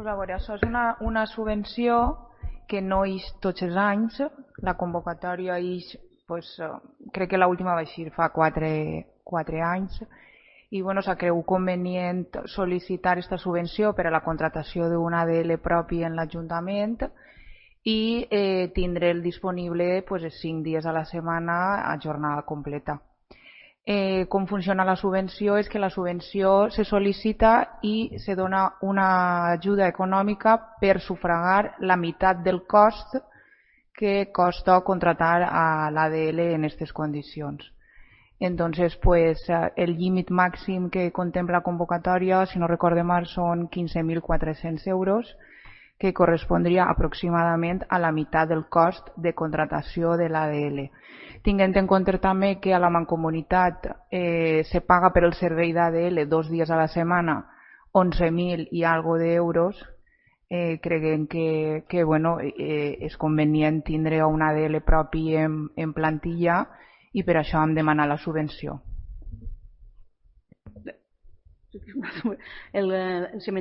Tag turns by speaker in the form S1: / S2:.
S1: Pues a veure, això és una subvenció que no ix tots els anys. La convocatòria ix, pues, crec que l'última va eixir fa 4 anys, i bueno, s'ha cregut convenient sol·licitar aquesta subvenció per a la contratació d'una ADL propi en l'Ajuntament i tindre'l disponible pues, 5 dies a la setmana a jornada completa. Com funciona la subvenció és que la subvenció se sol·licita i se dona una ajuda econòmica per sufragar la meitat del cost que costa contratar a l'ADL en aquestes condicions. Entonces, pues, el límit màxim que contempla la convocatòria, si no recorde mal, són 15.400 euros, que correspondria aproximadament a la meitat del cost de contratació de l'ADL. Tinguent en compte també que a la Mancomunitat se paga per el servei d'ADL 2 dies a la setmana 11.000 i algo d'euros, creguem que bueno, és convenient tindre un ADL propi en plantilla i per això hem demanat la subvenció.
S2: El